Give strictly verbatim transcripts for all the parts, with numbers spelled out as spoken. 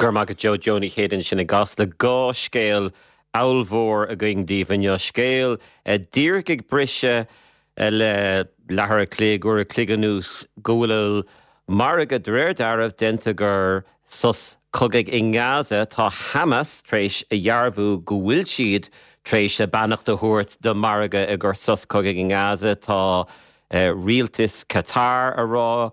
Go raibh maith agat Joe Joe Ní Chéide ansin i gCasla dhá scéal ollmhór againn daoibh inniu scéal díreach ag briseadh le leathuair a chloig uair a chloig anuas go bhfuil margadh de réir dealraimh déanta gur sos cogaidh i nGaza tá Hamas tar éis a dhearbhú go bhfuil siad tar éis a beannacht a thabhairt do margadh i gcomhair sos cogaidh i nGaza tá rialtas Qatar a rá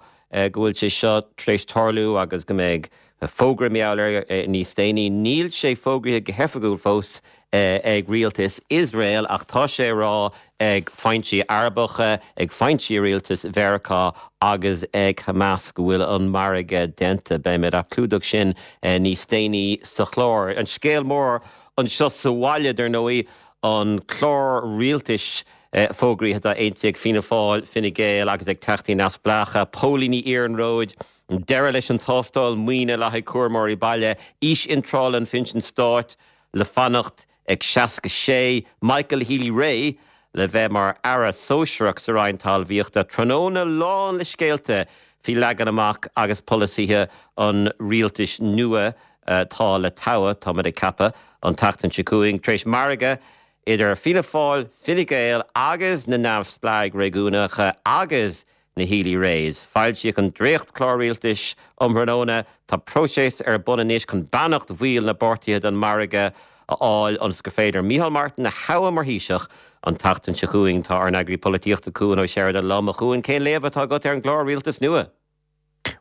go bhfuil sé seo tar éis tarlú agus go mbeidh fógra meáir níos déanaí níl sé fógraithe go hoifigiúil fós ag rialtas Iosrael ach tá sé rá ag foinsí Arabacha ag foinsí rialtas Mheiriceá agus ag Hamas go bhfuil an margadh déanta beimid á clúdach sin níos déanaí sa chlár. An scéal mór anseo sa bhaile dar ndóigh an clár rialtais fógraithe atá aontaithe ag Fianna Fáil, Fine Gael agus ag Teachtaí Neamhspleácha, Póilíní Iarnróid, deireadh leis an tástáil maoine le haghaidh cúramóirí baile, aois iontrála an phinsin stáit le fanacht ag seasca sé, Michael Healy-Rae le bheith mar aire sóisearach sa Roinn Talmhaíochta tráthnóna lán le scéalta faoi leagan amach agus polasaithe an rialtais nua tá le toghadh tá ag ceapadh an tseachtain seo chugainn tar éis margadh idir Fianna Fáil, Fine Gael agus na neamhspleáigh réigiúnacha agus na Healy-Raes. Foilsíodh an dréachtchlár rialtais um thráthnóna tá próiseas ar bun anois chun beannacht bhaill na bpáirtithe don margadh a fháil ionas gur féidir Micheál Martin a thoghadh mar Thaoiseach an tseachtain seo chugainn tá ár n-eagraí polaitíochta Cuan Ó Seireadó liom a Chuain cén léamh atá agat ar an gclár rialtais nua.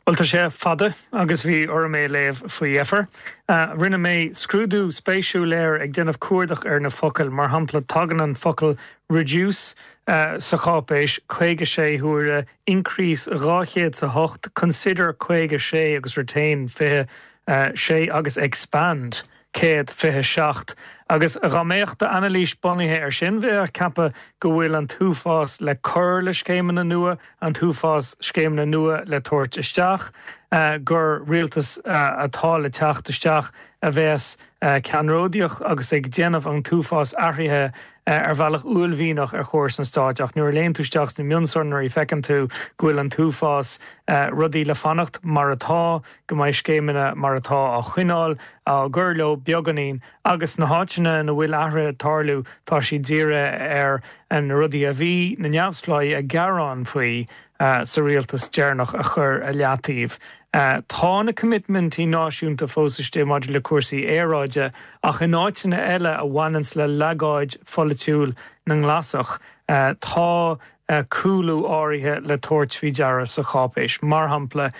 Well tá sé fada agus bhí orm é a léamh faoi dheifir. Uh, rinne mé scrúdú spéisiúil air ag déanamh cuardach ar na focail, mar shampla tagann an focal reduce uh, sa cháipéis caoga sé huaire increase dhá chéad a hocht, consider caoga sé agus retain fiche uh, sé agus expand céad fiche seacht. Agus dá mbeadh anailís bunaithe ar sin bheifeá ag ceapadh go bhfuil an t-uafás le cur le scéimeanna nua an t-uafás scéimeanna nua le tabhairt isteach, uh, gur rialtas uh, atá le teacht isteach a bheas uh, ceannródaíoch agus ag déanamh an t-uafás athruithe ar bhealach uaillmhianach ar chóras an stáit ach nuair a léann tú isteach sna mionsonraí feiceann tú go bhfuil an t-uafás rudaí le fanacht mar atá go mbeidh scéimeanna mar atá á choinneáil á gcur leo beagáinín agus na háiteanna ina bhfuil athruithe tarlú tá sí dírithe ar an rudaí a bhí na neamhspleáigh ag gearán faoi uh, sa rialtas deireanach a chur a leataobh. Uh, tá na commitmentí náisiúnta fós istigh maidir le cúrsaí aeráide ach in áiteanna eile a bhaineann le legáid pholaitiúil na nGlasach uh, tá uh, cúlú áirithe le tabhairt faoi deara sa cháipéis. Mar shampla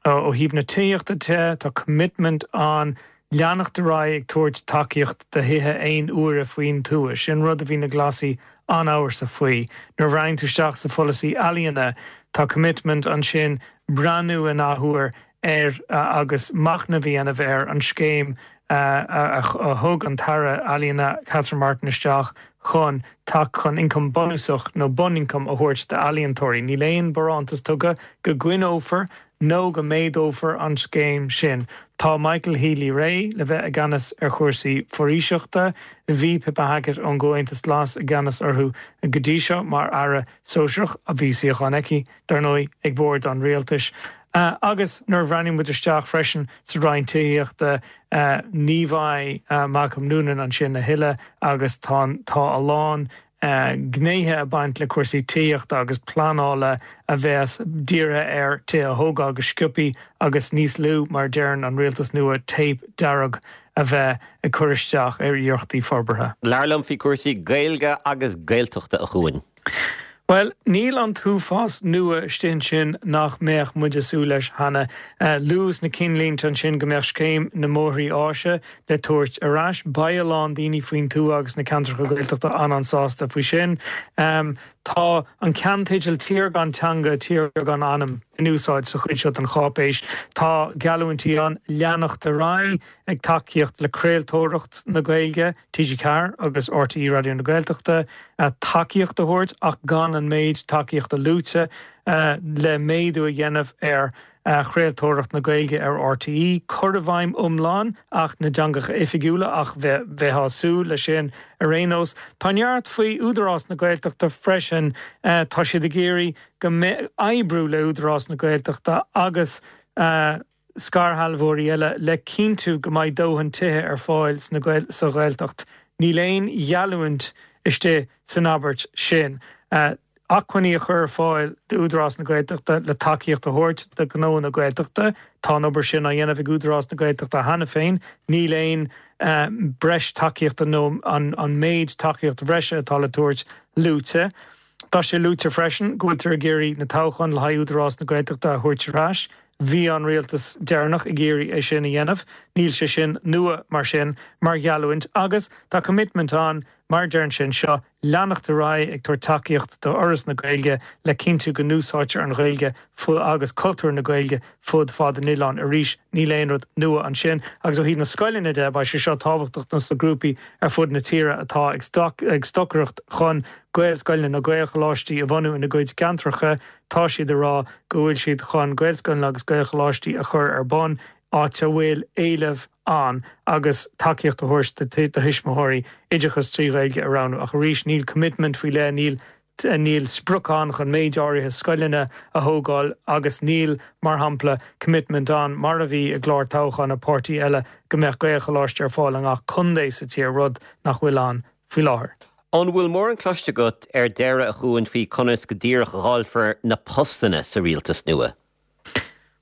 ó thaobh na tithíochta de tá commitment an leanacht ar aghaidh ag tabhairt tacaíocht do thithe aon uaire faoin tuath, sin rud a bhí na Glasaigh an-amhrasach faoi. Nuair a bhreathnaíonn tú isteach sa pholasaí ealaíona tá commitment ansin breathnú in athuair ar uh, agus machnamh a dhéanamh ar an scéim uh, a, a, a thug an tAire Ealaíona Catherine Martin isteach chun tak chun ioncam bunúsach nó bunioncam a thabhairt d'ealaíontóirí. Níl aon bharántas tugtha go gcoinneofar nó go méadófar an scéim sin. Tá Michael Healy-Rae le bheith i gceannas ar chúrsaí foraoiseachta, bhí Pippa Hackett ón gComhaontas Glas i gceannas orthu go dtí seo mar aire sóisearach a bhí suíochán aici dar ndóigh ag bord an rialtais. Uh, agus nuair a bhreathnaíonn muid isteach freisin sa Roinn Tithíochta uh, ní bheidh uh, Malcolm Noonan ansin a thuilleadh agus tá tá a lán uh, gnéithe a bhain le cúrsaí tithíochta agus pleanála a bheas dírithe ar tithe a thógáil go sciobtha agus níos lú mar a deireann an rialtas nua téip dearg a bheith ag cur isteach ar iarrachtaí forbartha. Labhair liom faoi cúrsaí Gaeilge agus Gaeltachta a Chuain. Well, níl an t-uafás nua istigh ansin nach mbeadh muid ag súil leis cheana. Uh, luadh sna cinnlínte ansin go mbeadh scéim na mbóithre áise le tabhairt ar ais beidh a lán daoine faoin tuath agus na ceantracha Gaeltachta an-an-sásta faoi sin. Um, tá an ceannteideal tír gan teanga tír gan anam in úsáid sa chuid seo den cháipéis. Tá geallúintí ann leanacht ar aghaidh ag tacaíocht le craoltóireacht na Gaeilge, TG Ceathair agus RTÉ Raidió na Gaeltachta tacaíocht a thabhairt ach gan an méid tacaíochta luaite uh, le méadú a dhéanamh ar uh, chraoltóireacht na Gaeilge ar RTÉ, cur i bhfeidhm iomlán Acht na dTeangacha Oifigiúla ach bheifeá ag súil le sin ar aon nós. Tá neart faoi Údarás na Gaeltachta freisin uh, tá siad ag iarraidh go oibriú le Údarás na Gaeltachta agus uh, scairshealbhóirí eile le cinntiú go mbeidh dóthain tithe ar fáil sa Ghaeltacht. Níl aon gheallúint istigh san abairt sin. Acmhainní a chur ar fáil d'Údarás na Gaeltachta le tacaíocht a thabhairt do ghnó na Gaeltachta. Tá an obair sin á dhéanamh ag Údarás na Gaeltachta cheana féin. Níl aon breis tacaíochta nó an méid tacaíocht bhreise atá le tabhairt luaite. Tá sé luaite freisin go bhfuiltear ag iarraidh na toghcháin le haghaidh Údarás na Gaeltachta a thabhairt ar ais. Bhí an rialtas deireanach ag iarraidh é sin a dhéanamh. Níl sé sin nua mar sin mar gheallúint agus tá commitment ann mar a deireann sé anseo, leanacht ar aghaidh ag tabhairt tacaíocht do Fhoras na Gaeilge le cinntiú go n-úsáidtear an Ghaeilge agus cultúr na Gaeilge fud fad an oileáin. Arís, níl aon rud nua ansin. Agus ó thaobh na scoileanna de, beidh sé seo tábhachtach dos na grúpaí ar fud na tíre atá ag stocaireacht chun Gaelscoileanna nó Gaelcholáistí a bhunú ina gcuid ceantracha. Tá siad ag rá go bhfuil siad chun Gaelscoileanna agus Gaelcholáistí a chur ar bun áit a bhfuil éileamh ann agus tacaíocht a thabhairt do thuismitheoirí oideachas trí Ghaeilge a roghnú. Ach arís, níl commitment faoi leith, níl níl sprioc ann chun méid áirithe scoileanna a thógáil agus níl, mar shampla, commitment ann, mar a bhí i gclár toghcháin an páirtí eile, go mbeadh Gaelcholáiste ar fáil i ngach contae sa tír, rud nach bhfuil ann faoi láthair. An bhfuil mórán cloiste agat ar deireadh a Chuain faoi conas go díreach a dháilfear na postanna sa rialtas nua?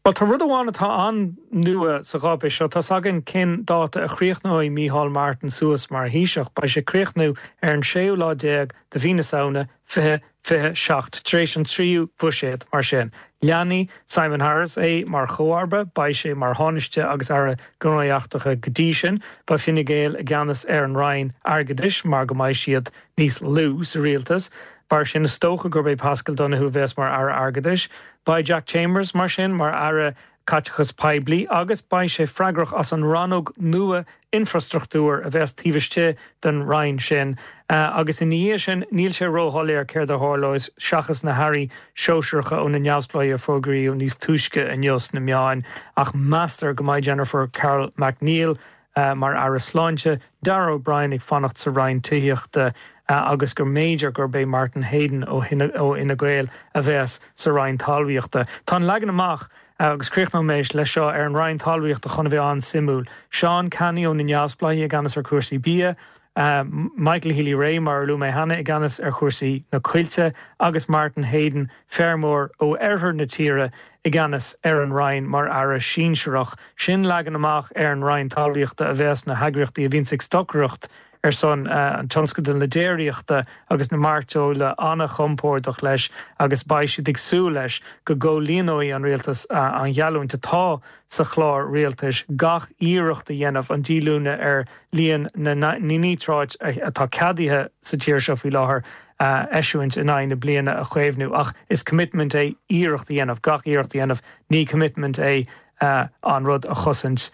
Bhuel, tá rud amháin atá an-nua sa cháipéis seo. Tá's againn cén dáta a chríochnóidh Micheál Martin suas mar Thaoiseach. Beidh sé ag críochnú ar an séú lá déag de mhí na Samhna fiche fiche seacht, tar éis an tríú bhuiséad, mar sin. Leanfaidh Simon Harris é mar chomharba, beidh sé mar Thánaiste agus Aire Gnóthaí Eachtracha go dtí sin. Beidh Fine Gael i gceannas ar an Roinn Airgeadais mar go mbeidh siad níos lú sa rialtas. Mar sin, is dócha gurb é Paschal Donohoe a bheas mar Aire Airgeadais. Beidh Jack Chambers, mar sin, mar Aire Caiteachais Poiblí agus beidh sé freagrach as an rannóg nua infrastruchtúir a bheas taobh istigh den roinn sin. Agus ina dhiaidh sin, níl sé róshoiléir céard a tharlóidh seachas na hairí sóisearacha ó na Neamhspleáigh a fógraíodh níos túisce inniu sna meáin. Ach meastar go mbeidh Jennifer Carroll MacNeill mar Aire Sláinte, Darragh O'Brien ag fanacht sa Roinn Tithíochta agus go mb'fhéidir gurb é Martin Heydon ó Fhine Gael a bheas sa Roinn Talmhaíochta. Tá an leagan amach, agus críochnóidh mé leis seo, ar an Roinn Talmhaíochta chun a bheith an-suimiúil. Seán Canney ó na Neamhspleáigh i gceannas ar chúrsaí bia, Michael Healy-Rae, mar a luaigh mé cheana, i gceannas ar chúrsaí na coillte agus Martin Heydon, feirmeoir ó oirthear na tíre, i gceannas ar an Roinn mar Aire Sinsearach. Sin leagan amach ar an Roinn Talmhaíochta a bheas na heagraíochtaí a bhíonns ag stocaireacht ar son an tionscadail na déiríochta agus na mairteola an-chompordach leis agus beidh siad ag súil leis go gcomhlíonóidh an rialtas an gheallúint atá sa chlár rialtais gach iarracht a dhéanamh an díolúine ar líon na níotráit atá ceadaithe sa tír seo faoi láthair a eisiúint in aghaidh na bliana a chaomhnú. Ach is commitment é iarracht a dhéanamh, gach iarracht a dhéanamh, ní commitment é an rud a chosaint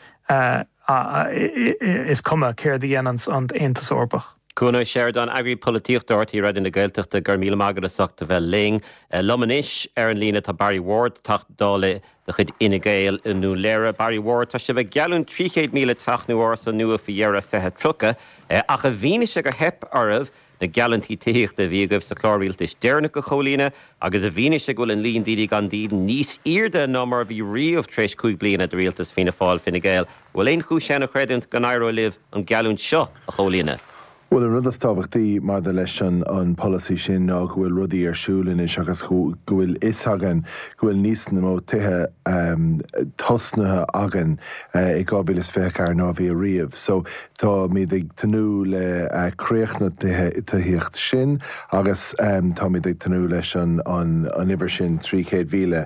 is cuma céard a dhéananns an tAontas Eorpach. Cuan Ó Seireadáin, Eagraí Polaitíochta R T Raidió na Gaeltachta, go raibh míle maith agat as ucht a bheith linn. Liom anois ar an líne tá Barry Ward, Teachta Dála de chuid Fhine Gael i nDún Laoghaire. Barry Ward, tá sibh ag geallúint trí chéad míle teach nó árasán nua faoi dheireadh fiche tríocha, ach i bhfianaise gur theip oraibh na geallúintí tithíochta a bhí agaibh sa chlár rialtais deireanach a chomhlíonadh agus i bhfianaise go bhfuil an líon daoine gan dídean níos airde ná mar a bhí riamh tar éis cúig bliana de rialtas Fianna Fáil, Fine Gael, an bhfuil aon chúis ann a chreidiúint go n-éireoidh libh an gheallúint seo a chomhlíonadh? Bhuel, an rud is tábhachtaí maidir leis an an polasaí sin ná go bhfuil rudaí ar siúl anois agus go bhfuil fhios againn go bhfuil níos mó tithe tosnaithe againn i dhá mhíle is fiche a ceathair ná bhí ariamh. So táimid ag tnúth le críoch na tithíocht sin agus táimid ag tnúth leis an an uimhir sin trí chéad mhíle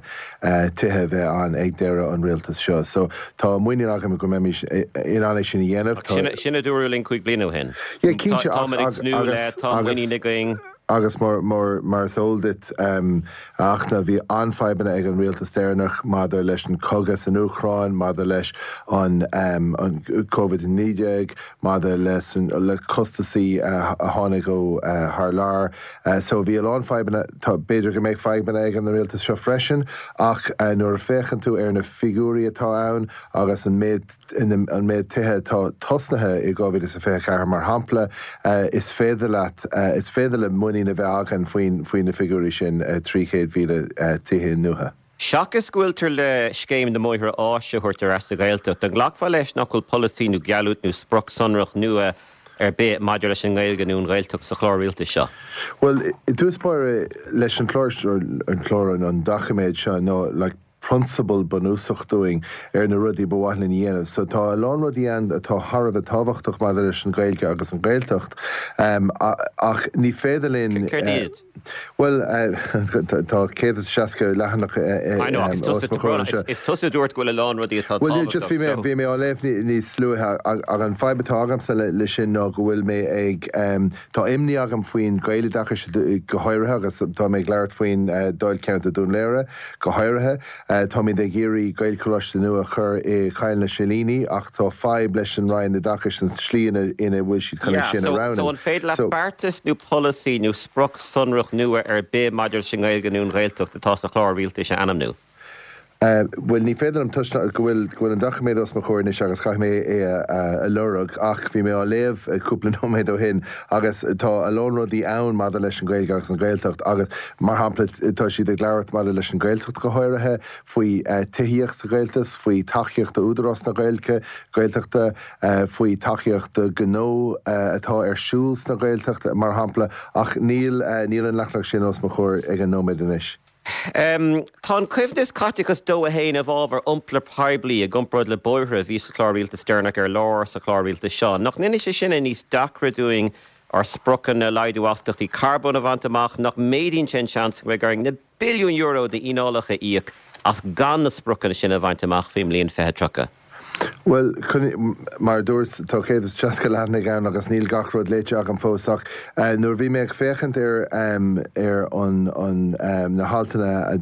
tithe a bheith ann ag deireadh an rialtas seo. So tá muinín agam go mbeimid in ann é sin a dhéanamh. Sin sin a dúradh linn cúig bliana ó shin. Yeah, cinnte, Táimid ag tnúth le, tá muinín againn. Agus mar mar mar is eol duit, a Fhachtna, bhí an-fhadhbanna ag an rialtas deireanach maidir leis an cogadh san Úcráin, maidir leis an an Covid a naoi déag, maidir leis an le costasaí a tháinig ó thar lear. So bhí a lán fadhbanna, tá b'fhéidir go mbeidh fadhbanna ag an rialtas seo freisin, ach nuair a féachann tú ar na figiúirí atá ann agus an méid an méid tithe atá tosnaithe i dhá mhíle is a fiche a ceathair mar shampla, is féidir leat, is féidir le muinín a bheith againn faoin, faoi na figiúirí sin, trí chéad mhíle tithe nua. Seachas go bhfuiltear le scéim na mbóithre áise a thabhairt ar ais sa Ghaeltacht, an nglacfá leis nach bhfuil polasaí nó geallúint nó sprioc sonrach nua ar bith maidir leis an nGaeilge nó an Ghaeltacht sa chlár rialtais seo? Bhuel, i dtús báire leis an chlár an chlár an doiciméad seo nó like, prionsabal bunúsach dúinn ar na rudaí ba mhaith linn a dhéanamh. So tá a lán rudaí ann atá thar a bheith tábhachtach maidir leis an Ghaeilge agus an Ghaeltacht um, ach ní féidir linn Céard iad? Well tá céad is seasca leathanach Is tusa a dúirt go bhfuil a lán rudaí atá Well just bhí mé bhí mé á léamh níos luaithe ach an fadhb atá agamsa le sin ná go bhfuil mé ag tá imní agam faoin Gaeloideachas go háirithe agus tá mé ag labhairt faoin Dáilcheantar Dún Laoghaire go háirithe. Táimid ag iarraidh Gaelcholáiste nua a chur i Cill na Silíní ach tá fadhb leis an Roinn Oideachais an slí ina ina bhfuil siad chun é sin a roghnú. So an féidir leat beartas nó polasaí nó sprioc sonrach nua ar bith maidir leis an nGaeilge nó an Ghaeltacht atá sa chlár rialtais a ainmniú? Bhuel ní féidir liom toisc go bhfuil go bhfuil an doiciméad os mo chomhair anois agus caithfidh mé é a lorg ach bhí mé á léamh cúpla nóiméad ó shin agus tá a lán rudaí ann maidir leis an Ghaeilge agus an Ghaeltacht agus mar shampla tá siad ag labhairt maidir leis an Ghaeltacht go háirithe faoi tithíocht sa Ghaeltacht, faoi tacaíocht d'Údarás na Gaeilge Gaeltachta, faoi tacaíocht do ghnó atá ar siúl sna Gaeltacht mar shampla ach níl níl an leathanach sin os mo chomhair ag an nóiméad anois. Tá an coibhneas caiteachas dó a haon i bhfabhar iompar poiblí i gcomparáid le bóithre a bhí sa chlár rialtais deireanach ar lár sa chlár rialtais seo. Nach ndéanann sé sin é níos deacra dúinn ár spriocanna laghdú astaíochtaí carbóin a bhaint amach? Nach méadaíonn sé an seans go mbeidh orainn na billiúin euro d'fhíneálacha a íoc as gan na spriocanna sin a bhaint amach faoin mbliain fiche tríocha? Bhuel, mar a dúirt, tá céad is seasca leathanaigh ann agus níl gach rud léite agam fós ach nuair a bhí mé ag féachaint ar ar an an na haltanna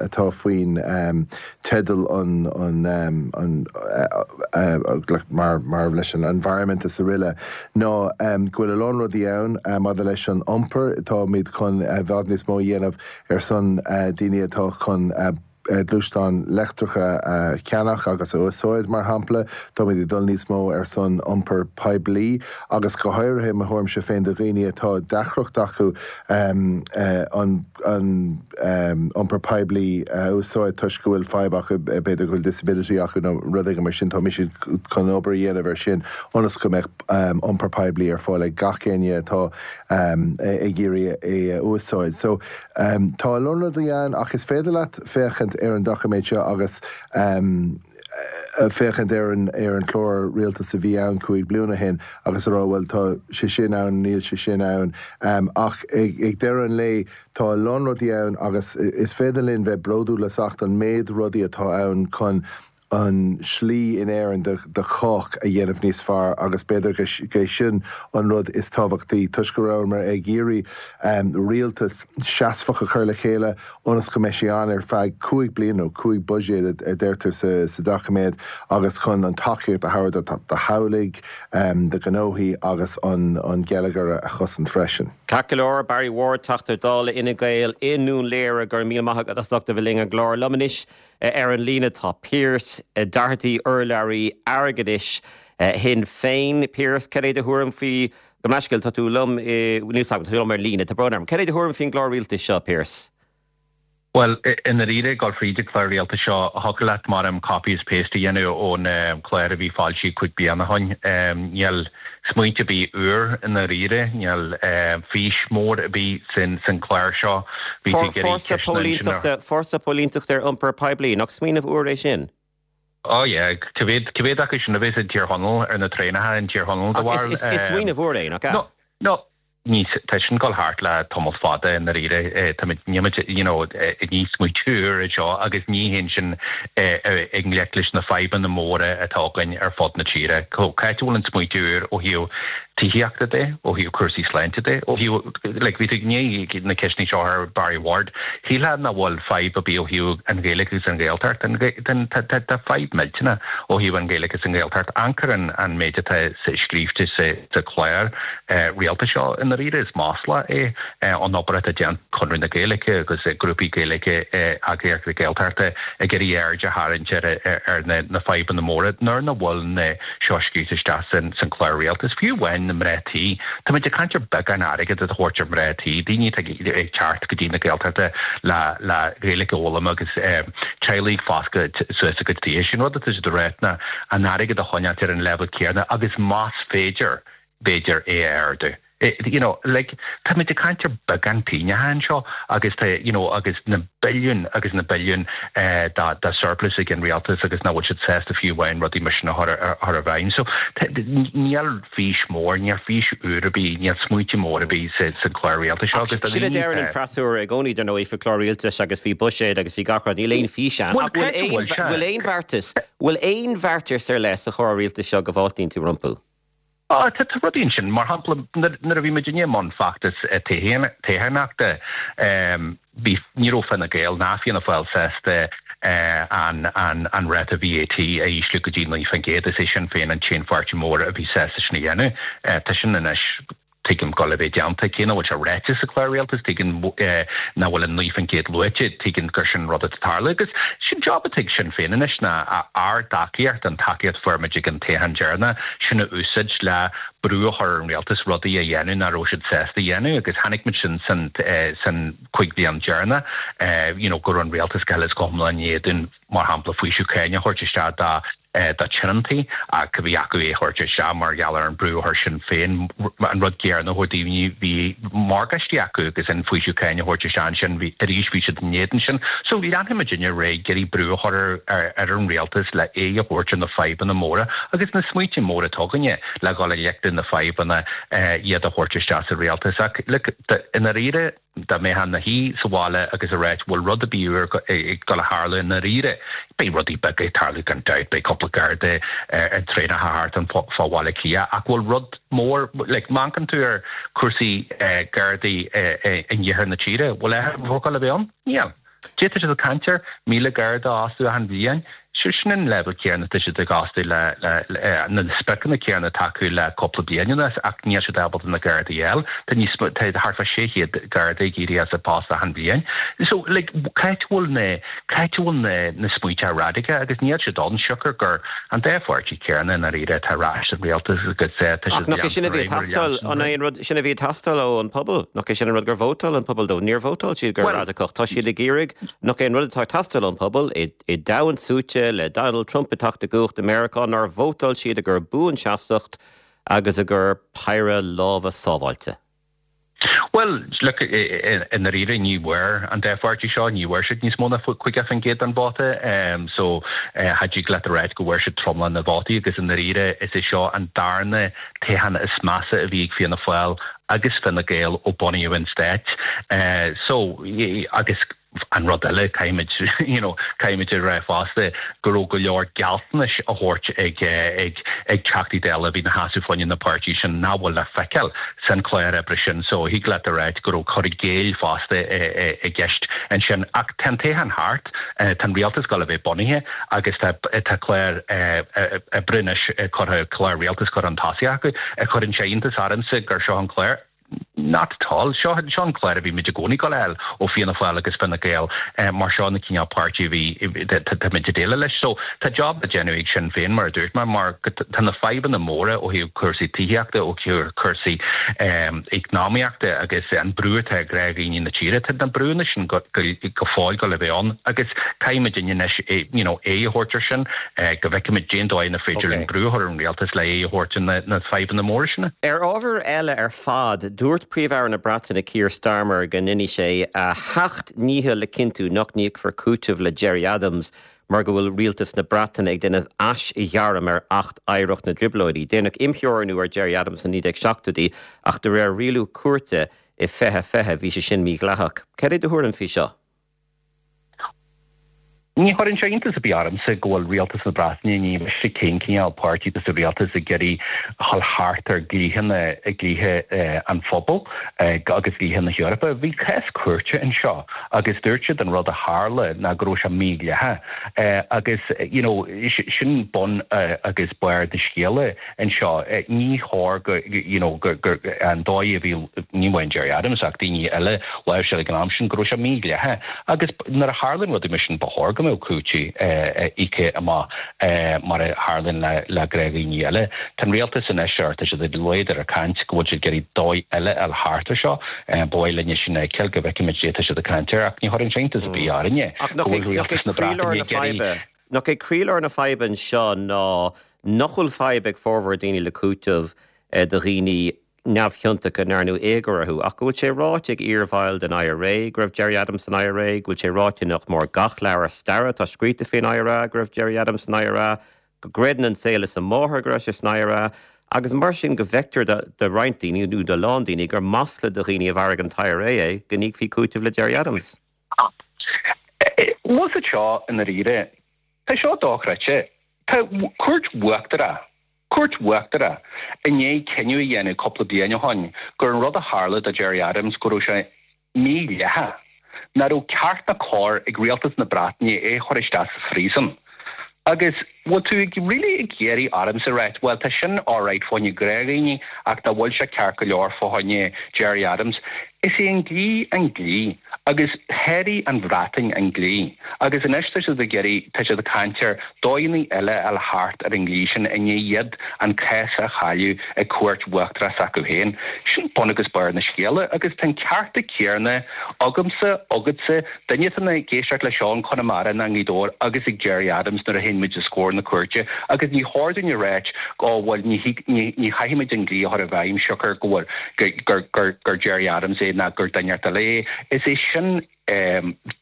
atá faoin teideal an an an mar mar leis an environment is araile ná go bhfuil a lán rudaí ann maidir leis an iompar, táimid chun i bhfad níos mó a dhéanamh ar son daoine atá chun gluaisteáin leictreacha a cheannach agus a úsáid, mar shampla. Táimid ag dul níos mó ar son iompar poiblí agus go háirithe, i mo thuairimse féin, do dhaoine atá deacracht acu an iompar poiblí a úsáid toisc go bhfuil fadhb acu, b'fhéidir go bhfuil disability acu nó rud éigin mar sin. Tá mise chun obair a dhéanamh air sin ionas go mbeadh iompar poiblí ar fáil ag gach éinne atá ag iarraidh é a úsáid. So, tá a lán rudaí ann ach is féidir leat féachaint ar an doiciméad seo agus féachaint ar an ar an chlár rialtais a bhí ann cúig bliana ó shin agus a rá bhuel tá sé sin ann, níl sé sin ann. Ach ag ag deireadh an lae tá a lán rudaí ann agus is féidir linn bheith bródúil as ucht an méid rudaí atá ann chun an slí in Éirinn do do chách a dhéanamh níos fearr agus b'fhéidir go é sin an rud is tábhachtaí toisc go rabhamar ag iarraidh rialtas seasmhach a chur le chéile ionas go mbeidh sé ann ar feadh cúig bliana nó cúig buiséad a deirtear sa sa doiciméad agus chun an tacaíocht a thabhairt do do theaghlaigh, do ghnóthaí agus an an geilleagar a chosaint freisin. Ceart go leor, Barry Ward, Teachta Dála Fhine Gael i nDún Laoghaire, go raibh míle maith agat as ucht a bheith linn ar an gclár liom anois. Ar an líne tá Pearse Doherty, urlabhraí airgeadais Shinn Féin. Pearse, cad é do thuairim faoi, gabh mo leithscéal, tá tú liom, níl 's agam, tá tú liom ar líne, tá brón orm. Cad é do thuairim faoin gclár rialtais seo, Pearse? Bhuel, i ndáiríre, ag dul fríd an clár rialtais seo, thiocfadh leat mar copy is paste a dhéanamh ón clár a bhí foilsithe cúig bliana ó shin. Níl smaointe ar bith úr i ndáiríre, níl fís mór ar bith san clár seo. Bhí tú ag iarraidh Fórsa ceisteanna ansin ar. póilínteachta, fórsa póilínteachta ar iompar poiblí, nach smaoineamh úr é sin? Oh yeah, cá mhéad, cá mhéad acu sin a bheas i dTír Chonaill ar na traenacha in Tír Chonaill do Ach bharúil? is, is, is smaoineamh úr é, nach ea? No, no, ní, tá sin ag dul thart le tamall fada i ndáiríre. Táimid, nílimid, you know, ní smaoitiú úr é seo agus ní théann sin i ngleic leis na fadhbanna móra atá againn ar fud na tíre. Cá háit a bhfuil an smaoitiú úr ó thaobh tithíochta de, ó thaobh cúrsaí sláinte de, ó thaobh, like, bhí tú i ndiaidh na ceisteanna seo ar Barry Ward, shílfeá nach bhfuil fadhb ar bith ó thaobh an Ghaeilge agus an Ghaeltacht, tá, tá fadhb millteanach ó thaobh an Ghaeilge agus an Ghaeltacht. Amharc ar an, an méid atá scríofa sa, sa chlár rialtais seo i ndáiríre is masla é an obair atá déanta ag Conradh na Gaeilge agus grúpaí Gaeilge, eagraíochtaí Gaeltachta ag iarraidh aird a tharraingt ar na fadhbanna móra nuair nach bhfuil na seo scríofa isteach san chlár rialtais. Fiú amháin na mná tí. Táimid ag caint ar beagán airgead a thabhairt ar mná tí, daoine atá ag teacht go dtí na Gaeltachta le le Gaeilge a fhoghlaim agus teaghlaigh ag fás suas a gcuid tithe. Sin rud atá siad a rá ná an airgead a choinneáil ar an leibhéal céanna agus más féidir, b'fhéidir é a ardú. You know, like, táimid ag caint ar beagán pingine anseo agus tá, you know, agus na billiún agus na billiún eh, da, da surplus ag an rialtas agus nach bhfuil siad sásta fiú amháin rudaí mar sin a chur chur i bhfeidhm. So níl fís mór, níl fís úr ar bith, níl smaointe mór ar bith sa sa chlár rialtais seo agus Sin a deireann an freasúra i gcónaí dar ndóigh faoi chlár rialtais agus faoi buiséad agus faoi gach rud, níl aon fís ann. Ach bhfuil aon bhfuil aon bheartas, bhfuil aon bheartas ar leith sa chlár rialtais seo go bhfáiltíonn tú rompu? Ah, tá rudaí ansin mar shampla nuair a bhí muid i mbun feachtas tithíochta bhí ní raibh Fine Gael ná Fianna Fáil sásta an an an ráta VAT a ísliú go dtí naoi faoin gcéad is é Sinn Féin an t-aon pháirtí mór a bhí sásta sin a dhéanamh. Tá sin anois tuigim go le bheith déanta cé nach bhfuil sé ráite sa chlár rialtais tuigim nach bhfuil an naoi faoin gcéad luaite tuigim gur sin rud atá tarlú agus sin job atá ag Sinn Féin anois ná ár dtacaíocht an tacaíocht fuair muid ag an toghchán deireanach sin a úsáid le brú a chur ar an rialtas rudaí a dhéanamh nach raibh siad sásta a dhéanamh agus chonaic muid sin san san cúig bliana deireanach you know go raibh an rialtas go huile is go hiomlán in éadan mar shampla faoiseamh cáin a thabhairt isteach dá do thionóntaí ach bhí acu é a thabhairt isteach mar gheall ar an brú a chuir Sinn Féin an rud céanna a daoine bhí morgáistí acu agus an faoiseamh cáin a thabhairt isteach ansin bhí arís bhí siad in éadan sin. So bhí leanfaimid ar aghaidh ag iarraidh brú a chur ar ar an rialtas le aghaidh a thabhairt ar na fadhbanna móra agus na smaointe móra atá againne le dhul i ngleic le na fadhbanna iad a thabhairt isteach sa rialtas ach i ndáiríre dá mbeifeá ina shuí sa bhaile agus ag ráit bhfuil rud ar bith úr ag dul a tharlú i ndáiríre. Beidh rudaí beaga ag tarlú gan dabht, beidh cúpla garda ar traenacha thart an fá Bhaile Átha Cliath ach bhfuil rud mór like, má amharcann tú ar cúrsaí gardaí in iarthar na tíre, bhfuil focal a bheith ann? Níl. Tá siad ag caint ar míle garda a fhostú achan bhliain. Sin an leibhéal céanna atá siad ag fhostú le na spriocanna céanna atá acu le cúpla bliain anuas ach níl siad ábalta na gardaí a fháil. Tá níos tá thart fá sé chéad garda ag éirí as a bpost achan bhliain. So like, cá bhfuil na cá bhfuil na na smaointe radicacha agus níl siad ann siocair gur an dá pháirtí céanna i ndáiríre atá ar ais sa rialtas agus tá Ach nach é sin a bhí ag teastáil an é an rud sin a bhí ag teastáil ó an pobal, nach é sin an rud gur vótáil an pobal dó, níor vótáil siad gur radacach tá siad ag iarraidh nach é an rud atá ag teastáil ón pobal i i domhan suaite le Donald Trump ag teacht i gcumhacht i Meiriceá nár vótáil siad i gcomhair buanseasmhacht agus i gcomhair péire lámha sábháilte. Well look i ndáiríre ní bhfuair an dá pháirtí seo ní bhfuair siad níos mó ná caoga faoin gcéad den vóta um, so uh, cha dtig leat a rá go bhfuair siad tromlach na vótaí agus i ndáiríre is é seo an darna toghchán is measa a bhí ag Fianna Fáil agus Fine Gael ó bunaíodh an stát. Uh, so agus an rud eile caithfimid you know, caithfimid a rá fosta go raibh go leor gealltanais á thabhairt ag ag ag Teachtaí Dála bhí ina seasamh fá choinne na páirtí sin nach bhfuil le feiceáil san chlár oibre sin so thig leat a rá go raibh cur i gcéill fosta i gceist ansin ach tá an toghchán thart tá an rialtas ag dul a bheith bunaithe agus tá tá clár oibre anois curtha clár rialtas curtha chun tosaigh acu cuireann sé iontas ormsa gur seo an clár Not at all. Seo seo an clár a bhí muid i gcónaí ag fáil ó Fianna Fáil agus Fine Gael mar seo na cineál páirtí a bhí táimid ag déileáil leis. So tá job le déanamh ag Sinn Féin mar a dúirt mé mar tá na fadhbanna móra ó thaobh cúrsaí tithíochta ó thaobh cúrsaí eacnamaíochta agus an brú atá ar dhaoine na tíre tá na brúnna sin go go fóill ag dul a bheith ann agus caithfimid anois you know aghaidh a thabhairt air sin go bhfeicfimid cén dóigh ar féidir an brú a chur ar an rialtas le aghaidh a thabhairt na na fadhbanna móra sin. Ar ábhar eile ar fad, dúirt Príomh-Aire na Breataine Keir Starmer go ndéanfaidh sé a sheacht ndícheall le cinntiú nach n-íocfar cúiteamh le Gerry Adams mar go bhfuil rialtas na Breataine ag déanamh aisghairm ar Acht Oidhreacht na dTrioblóidí. Déanadh imtheorannú ar Gerry Adams sna naoi déag seachtóidí ach de réir rialú cúirte i fiche fiche bhí sé sin mídhleathach. Cad é do thuairim faoi seo? Ní chuireann sé iontas ar bith ormsa go bhfuil rialtas na Breataine ní miste cén cineál páirtí sa rialtas ag iarraidh dul thart ar dhlíthe dlíthe an phobail agus dlíthe na hEorpa. Bhí cás cúirte anseo agus dúirt siad an rud a tharla ná go raibh sé mídhleathach agus you know, sin bun agus barr na scéala anseo ní chóir go you know, go, go, an dóigh a bhí ní amháin Gerry Adams ach daoine eile láimhseáil ag an am sin go raibh sé mídhleathach agus nuair a tharlaíonn rudaí mar sin ba chóir go mbeadh cúiteamh íoctha amach mar a tharlaíonn le gnáthdhaoine eile. Tá an rialtas anois ar tá siad ar a laghad ar a caint go bhfuil siad ag iarraidh dóigh eile a fháil thart ar seo. Ba mhaith linne sin a fheiceáil go bhfeicfimid cad é atá siad ag caint air ach ní chuireann sé iontas ar bith orainne go bhfuil rialtas na Breataine ag iarraidh Nach é croílár na faidhbe anseo ná nach bhfuil fadhb ag formhór daoine le cúiteamh do dhaoine neamhchiontacha a ndearnadh éagóir orthu, ach go bhfuil sé ráite ag iarbhaill den IRA go raibh Gerry Adams san IRA, go bhfuil sé ráite nach mór gach leabhar staire atá scríte faoin IRA go raibh Gerry Adams san IRA, go gcreideann an saol is a máthair go raibh sé san IRA, agus mar sin go bhfeictear do roinnt daoine nó do lán daoine gur masla do dhaoine a mharaigh an t-IRA é go n-íocfaí cúiteamh le Gerry Adams. Bhuel seo i ndáiríre, tá seo dochreidte. Tá cúirt uachtarach Cúirt Uachtarach i ndiaidh cinneadh a dhéanamh cúpla bliain ó shin gur an rud a tharla do Gerry Adams go raibh sé mídhleathach, nach raibh ceart ná cóir ag rialtas na Breataine é a chur isteach sa phríosún. Agus bhfuil tú ag really ag iarraidh ormsa a ráit, bhuel tá sin alright fá choinne gnáthdhaoine ach nach bhfuil sé ceart go leor fá choinne Gerry Adams. Is é an dlí an dlí agus sháraigh an Bhreatain an dlí agus anois tá siad ag iarraidh, tá siad ag caint ar dóigheanna eile a fháil thart ar an dlí sin i ndiaidh iad an cás a chailleadh ag cúirt uachtarach s'acu féin. Sin bun agus barr na scéala agus tá an cearta céanna agamsa, agatsa, duine atá ag éisteacht le seo in Conamara nó i nGaoth Dobhair agus ag Gerry Adams nuair a théann muid os comhair na cúirte agus ní chóir dúinn a ráit ó bhuel ní ní chaithfimid an dlí a chur i bhfeidhm siocair go bhfuil gur gur gur Gerry Adams é ná gur duine eile é. Is é sin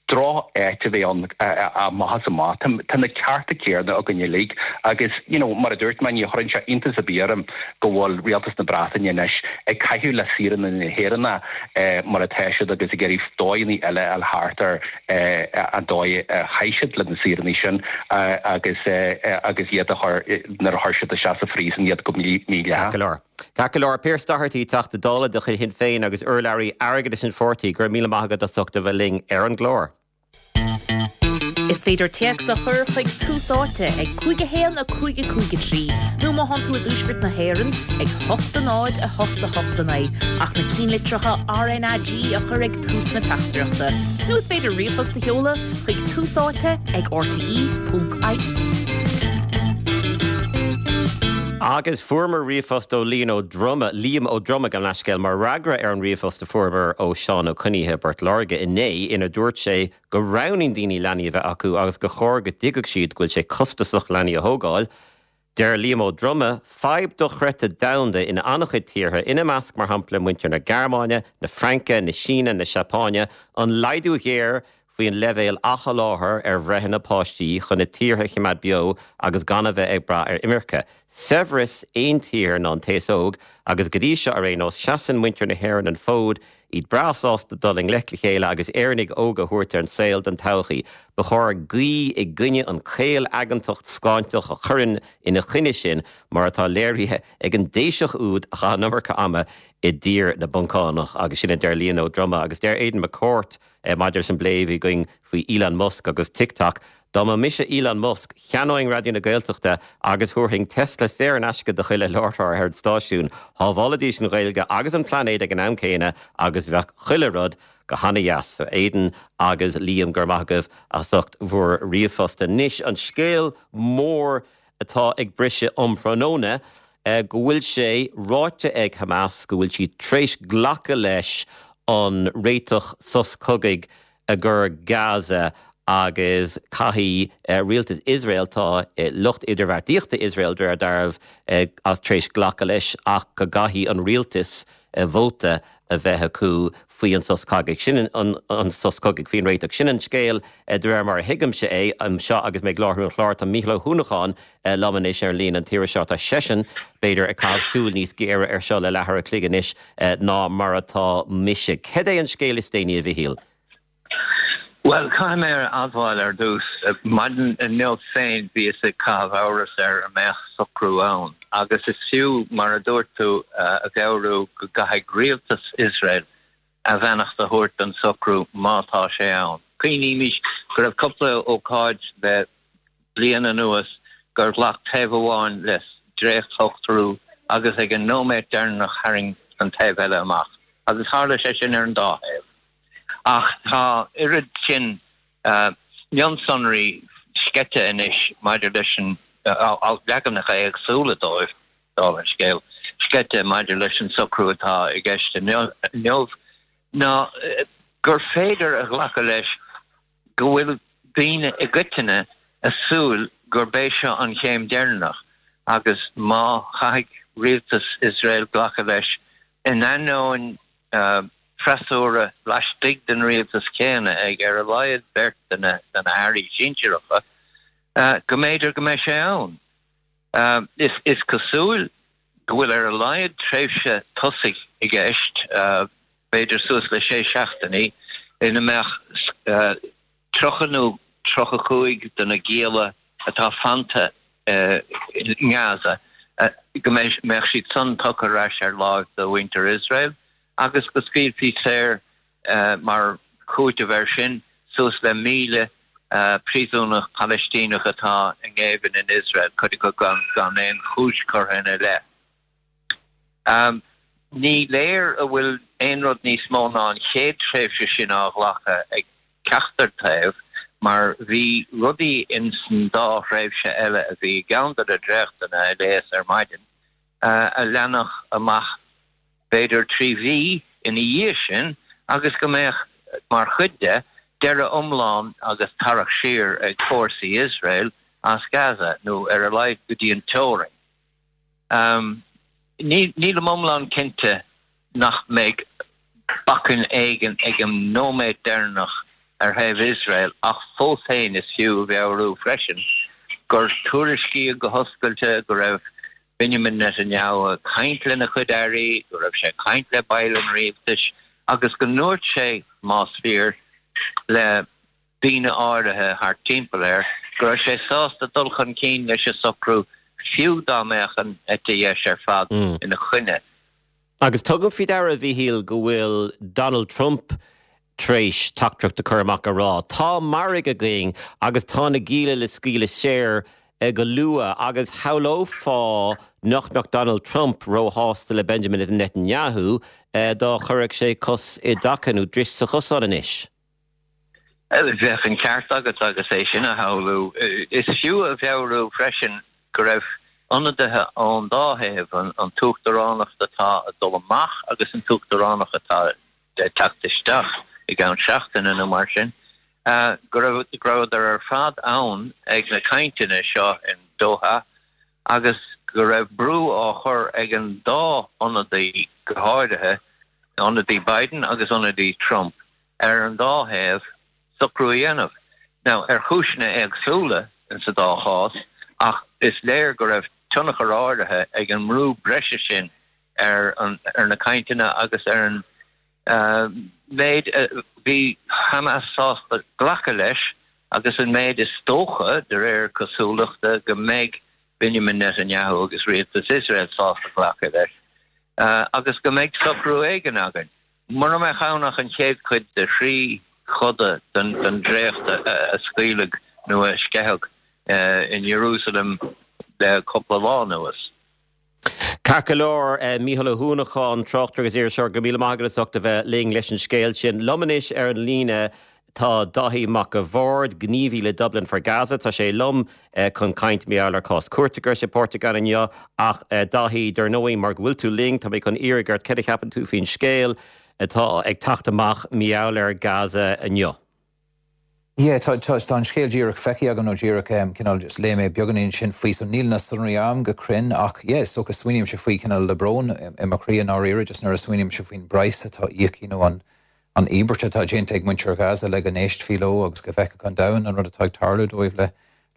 droch-áit a bheith ann amach is amach. Tá na cearta céanna againn uilig agus you know, mar a dúirt mé ní chuireann sé iontas ar bith orm go bhfuil rialtas na Breataine anois ag caitheamh le saoránaigh na hÉireann eh, mar atá siad agus ag iarraidh dóigheanna eile a fháil thart ar eh, an dóigh a chaith siad le na saoránaigh sin eh, agus agus iad a chur nuair a chuir siad isteach sa phríosún iad go mídhleathach. Ceart go leor Pearse Doherty Teachta Dála de chuid Shinn Féin agus urlabhraí airgeadais an pháirtí go raibh míle maith agat as ucht a bheith linn ar an gclár. Is féidir téacs a chur chuig Tús Áite ag cúig a haon a cúig a cúig a trí nó má thánn tú i dtuaisceart na hÉireann ag hocht a náid a hocht a hocht a naoi ach na cinnlitreacha RnaG a chur ag tús na teachtaireachta. Nó is féidir ríomhphost a sheoladh chuig Tús Áite ag RTE ponc IE. Agus fuaireamar ríomhphost ó Liam Ó Droma Liam Ó Droma gan leithscéal mar fhreagra ar an ríomhphost a fuaireamar ó Seán Ó Coinnithe i bPort Láirge inné ina dúirt sé go roghnaíonn daoine leanaí a bheith acu agus gur chóir go dtuigfeadh siad go bhfuil sé costasach leanaí a thógáil. Deir Liam Ó Droma, fadhb dochreidte domhanda in an-chuid tíortha ina measc mar shampla muintir na Gearmáine, na Fraince, na Síne, na Seapáine, an laghdú géar faoin leibhéal athsholáthair ar bhreitheanna páistí chun na tíortha a choimeád beo agus gan a bheith ag brath ar imirce. Saibhreas aon tír ná an t-aos óg agus go dtí seo ar aon nós seasann muintir na hÉireann an fód, iad breá sásta dul i ngleic le chéile agus Éireannaigh óga a thabhairt ar an saol don todhchaí. Ba chóir guí i gcoinne an chaol-aigeantacht scáinteach a chuireann ina choinne sin mar atá léirithe ag an dTaoiseach úd a chaith an iomarca ama i dtír na bPoncánach agus sin a deir Liam Ó Droma agus deir Aidan McCourt maidir leis an bplé a bhí againn faoi Elon Musk agus TikTok. Dá mba mise Elon Musk, cheannóinn Raidió na Gaeltachta agus thabharfainn Tesla saor in aisce do chuile láithreoir ar an stáisiún, shábhálfaidís an Ghaeilge agus an pláinéad ag an am céanna agus bheadh chuile rud go hana-dheas. Aidan agus Liam go raibh maith agaibh as ucht bhur ríomhphost. Anois an scéal mór atá ag briseadh um thráthnóna go bhfuil sé ráite ag Hamas go bhfuil siad tar éis glacadh leis an réiteach sos cogaidh i gcoir Gaza agus caithfidh rialtas Iosrael tá lucht idirbheartaíochta Iosrael de réir dealraimh as tar éis glacadh leis ach go gcaithfidh an rialtas vóta a bheith acu faoi an sos cogaidh. Sin an, an sos cogaidh faoin réiteach. Sin an scéal de réir mar a thuigimse é anseo agus mé ag láithriú an chláir. Tá Mícheál Ó hUanacháin liom anois ar an líne an t-iarraidh seo. Tá seisean b'fhéidir ag caitheamh súil níos géire ar seo le leathuair a chloig anois ná mar atá mise. Cad é an scéal is déanaí a Mhichíl? Bhuel, caithfidh mé a admháil ar dtús, maidin inniu féin bhíos ag caitheamh amhras ar an mbeadh socrú ann, agus is fiú, mar a dúirt tú, a mheabhrú go gcaithfidh rialtas Iosrael a bheannacht a thabhairt don socrú má tá sé ann. Cuimhnímis go raibh cúpla ócáid le bliain anuas gur ghlac taobh amháin le dréachtshocrú agus ag an nóiméad deireanach tharraing an taobh eile amach, agus tharla sé sin ar an dá thaobh. Ach tá oiread sin mionsonraí sceite anois maidir leis an leaganacha éagsúla dóibh, dála an scéil, sceite maidir leis an socrú atá i gceist inniu, ná gur féidir a ghlacadh leis go bhfuil daoine i gcoitinne ag súil gurb é seo an chéim deireanach agus má chaithfidh rialtas Iosrael glacadh leis, in ainneoin freasúra laistigh den rialtas céanna ag ar a laghad beirt de na hairí sinsearacha, go mb'fhéidir go mbeidh sé ann. Is cosúil go bhfuil ar a laghad tréimhse tosaigh i gceist, b'fhéidir suas le sé seachtainí, ina mbeadh tríocha nó tríocha cúig de na gialla atá fanta i nGaza, go mbeadh siad san tugtha ar ais ar láimh do mhuintir Iosrael agus go scaoilfí saor mar chúiteamh air sin suas le míle príosúnach Palaistíneach atá i ngéibheann in Iosrael, cuid acu gan aon chúis curtha ina leith. Ní léir a bhfuil aon rud níos mó ná an chéad tréimhse sin á ghlacadh ag ceachtar taobh mar bhí rudaí ins an dá thréimhse eile a bhí i gceann de na dréachtanna a léas ar maidin a leanfadh amach b'fhéidir trí mhí ina dhiaidh sin agus go mbeadh mar chuid de deireadh iomlán agus tarrac siar ag fórsaí Iosrael as Gaza nó ar a laghad go dtí an teorainn. Nílim iomlán cinnte nach mbeidh bacainn éigin ag an nóiméad deireanach ar thaobh Iosrael ach fós féin is fiú a mheabhrú freisin gur tuairiscíodh go hoscailte go raibh Benjamin Netanyahu ag caint lena chuid airí, go raibh sé ag caint le baill an rialtais agus go ndúirt sé, más fíor, le daoine áirithe thart timpeall air go raibh sé sásta dul chun cinn leis an socrú fiú dá mbeadh an eite dheis ar fad ina choinne. Agus tugaim faoi deara, a Mhíchíl, go bhfuil Donald Trump tar éis teachtaireacht a chur amach ag rá, tá margadh againn agus tá na gialla le scaoileadh saor go luath agus shamhlófá nach mbeadh Donald Trump róshásta le Benjamin Netanyahu dá chuirfeadh sé cos i dtaca nó dris sa chosán anois. Bheadh an ceart agat agus é sin a shamhlú. Is fiú a mheabhrú freisin go raibh ionadaithe ón dá thaobh, an t-uachtaránacht atá ag dul amach agus an t-uachtaránacht atá ag teacht isteach i gceann seachtaine nó mar sin, go raibh go rabhadar ar fad ann ag na cainteanna seo in Doha agus go raibh brú á chur ag an dá ionadaí go háirithe, ionadaí Biden agus ionadaí Trump, ar an dá thaobh socrú a dhéanamh. Now, ar chúiseanna éagsúla in sa dá chás, ach is léir go raibh tionchar áirithe ag an mbrú breise sin ar an ar na cainteanna agus ar an méid a bhí Hamas sásta glacadh leis agus an méid is dócha, de réir cosúlachta, go mbeidh Benjamin Netanyahu agus rialtas Iosrael sásta glacadh leis agus go mbeidh socrú éigin againn. Mura mbeadh ann ach an chéad chuid de thrí choda den dréacht a scaoileadh nó a sceitheadh in Ierúsalem le cúpla lá anuas. Ceart go leor, Mícheál Ó hUanacháin, tráchtaire agus iriseoir, go míle maith agat as ucht a bheith linn leis an scéal sin. Liom anois ar an líne tá Dáithí Mac a' Bhaird, gníomhaí le Dublin for Gaza. Tá sé liom chun caint mar gheall ar chás cúirte go raibh sé páirteach ann inniu. Ach Dáithí, dar ndóigh, mar go bhfuil tú linn, tá mé chun iarraidh ort céard a cheapann tú faoin scéal atá ag teacht amach mar gheall ar Gaza inniu. Yeah, tá tá tá an scéal díreach feicthe agam nó díreach um, cineál just léigh mé beagáinín sin faoi so níl na sonraí agam go cruinn ach yeah, so go smaoinímse faoi cineál le brón i mo chroí i ndáiríre just nuair a smaoinímse faoin bpraghas atá íoctha nó an an íobairt atá déanta ag muintir Gaza le go n-éistfí leo agus go bhfeicfeadh an domhan an rud atá ag tarlú dóibh le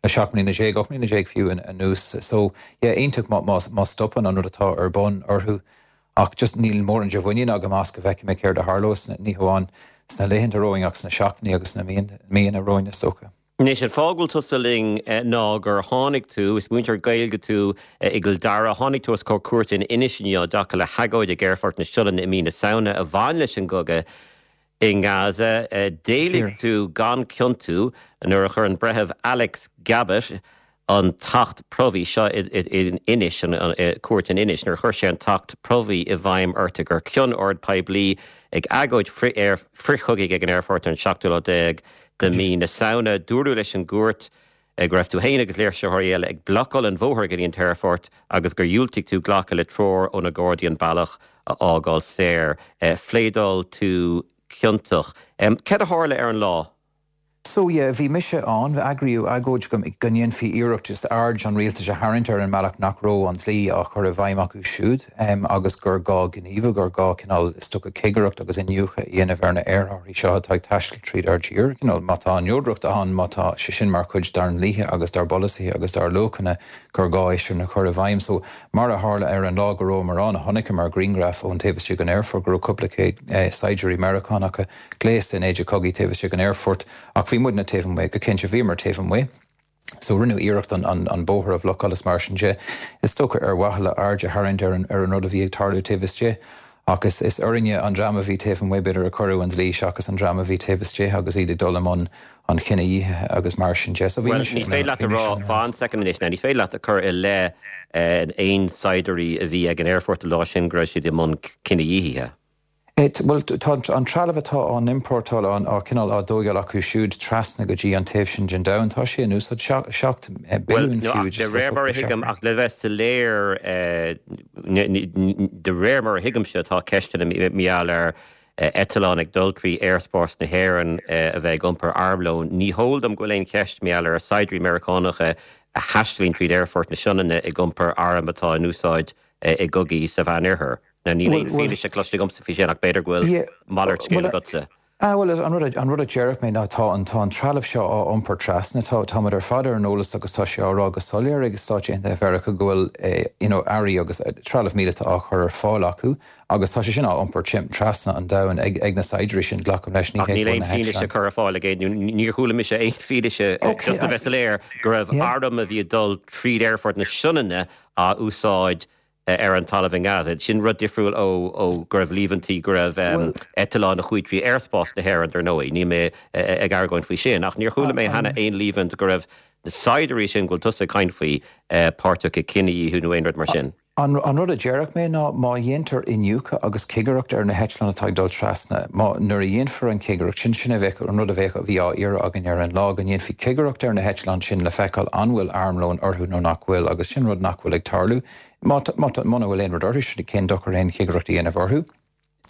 le seacht mbliana déag, ocht mbliana déag fiú anuas. So yeah, iontach má má má stopann an rud atá ar bun orthu. Ach just níl mórán de mhuinín agam as go bhfeicfidh mé céard a tharlós, ní hamháin sna laethanta romhainn ach sna seachtainí agus sna míonna romhainn is dócha. Anois, an fáth go bhfuil tusa linn ná gur tháinig tú, is múinteoir Gaeilge tú i gCill Dara, tháinig tú os comhair cúirte in Inis inniu i dtaca le hagóid ag Aerfort na Sionainne i mí na Samhna a bhain leis an gcogadh i nGaza. D'éiligh tú gan ciontú nuair a chuir an Breitheamh Alex Gabbett, an tAcht Promhaidh seo in Inis, an cúirt in Inis, nuair a chuir sé an tAcht Promhaidh i bhfeidhm ort gur cion ord poiblí ag agóid frithchogaidh ag an aerfort ar an seachtú lá déag de mí na Samhna. Dúradh leis an gcúirt go raibh tú féin agus léirsitheoirí eile ag blocáil an bhóthair go dtí an t-aerfort agus gur dhiúltaigh tú glacadh le treoir ó na Gardaí an bealach a fhágáil saor. Phléadáil tú ciontach. Céard a tharla ar an lá? So yeah, bhí mise ann, eagraíodh agóid go go ndéanfaí iarracht just aird an rialtais a tharraingt ar an mbealach nach raibh an dlí á chur i bhfeidhm acu siúd um, agus gur gá gníomhú gur gá cineál is dócha cigireacht agus iniúchadh a dhéanamh ar na aerárthaí seo atá ag taisteal tríd ár dtír. Cineál má tá an neodracht ann má tá sé sin mar chuid dár ndlíthe agus dár bpolasaithe agus dár luachanna gur gá é sin a chur i bhfeidhm. So mar a tharla ar an lá go rabhamar ann chonaiceamar grianghraf ón taobh istigh den aerfort go raibh cúpla céad eh, saighdiúirí Meiriceánacha gléasta in éide cogaidh taobh istigh den aerfort ach bhí muidne taobh amuigh go cinnte bhíomar taobh amuigh. So rinneadh iarracht an, an, an bóthar a bhlocáil is mar sin de. Is dócha ar mhaithe le aird a tharraingt ar an, ar an rud a bhí ag tarlú taobh istigh. Agus is orainne an dream a bhí taobh amuigh b'fhéidir a cuireadh an dlí seachas an dream a bhí taobh istigh agus iad ag dul i mbun an chinedhíothaithe agus mar sin de. So bhí Well, ní féidir leat a rá fan soicind anois, ní féidir leat a chur i leith aon saighdiúirí a bhí ag an aerfort an lá sin go raibh siad i mbun cinedhíothaithe. Well tá an trealamh atá á n-iompórtáil á cineál á dtógáil acu siúd trasna go dtí an taobh sin den domhan tá sé in úsáid seacht billiún fiú. De réir mar a thuigim ach le bheith soiléir de réir mar a thuigimse tá ceisteanna mar gheall ar eitleán ag dul trí aerspás na hÉireann a bheith ag iompar armlóin. Ní heol dom go bhfuil aon cheist mar gheall ar saighdiúirí Meiriceánacha a thaisleann tríd aerfort na Sionainne ag iompar arm atá in úsáid i gcogaí sa Mheánoirthear. Now níl aon fianaise cloiste agamsa faoi sin ach b'fhéidir go bhfuil malairt scéil agatsa. Ah well an rud an rud a déarfadh mé ná tá an tá an trealamh seo á iompar trasna tá táimid ar fad ar an eolas agus tá sé á rá go soiléir ag Stáit Aontaithe Mheiriceá go bhfuil eh, you know, earraí agus eh, trealamh míleata á chur ar fáil acu agus tá sé sin á iompar tim trasna an domhain ag ag na saighdiúirí sin glacaim leis ní Ach níl aon fianaise curtha ar fáil ag aon níor chuala mise aon fianaise just a bheith soiléir go raibh arm a bhí ag dul tríd aerfort na Sionainne á úsáid ar an talamh in Gaza. Sin rud difriúil ó ó go raibh líomhaintí go raibh eitleán a chuaigh trí aerspás na hÉireann dar ndóigh, níl mé ag argóint faoi sin, ach níor chuala mé cheana aon líomhaint go raibh na saighdiúirí sin go bhfuil tusa ag caint faoi páirteach i cinedhíothú nó aon rud mar sin. An, an rud a déarfadh mé ná má dhéantar iniúchadh agus cigireacht ar na heitleáin atá ag dul trasna, má nuair a dhéanfar an cigireacht sin sin a bheadh an rud a bheadh a bhí á iarraidh againn ar an lá go ndéanfaí cigireacht ar na heitleáin sin le feiceáil an bhfuil armlón orthu nó nach bhfuil agus sin rud nach bhfuil ag tarlú. Má muna bhfuil aon rud orthu sin cén dochar aon chigireacht a dhéanamh orthu.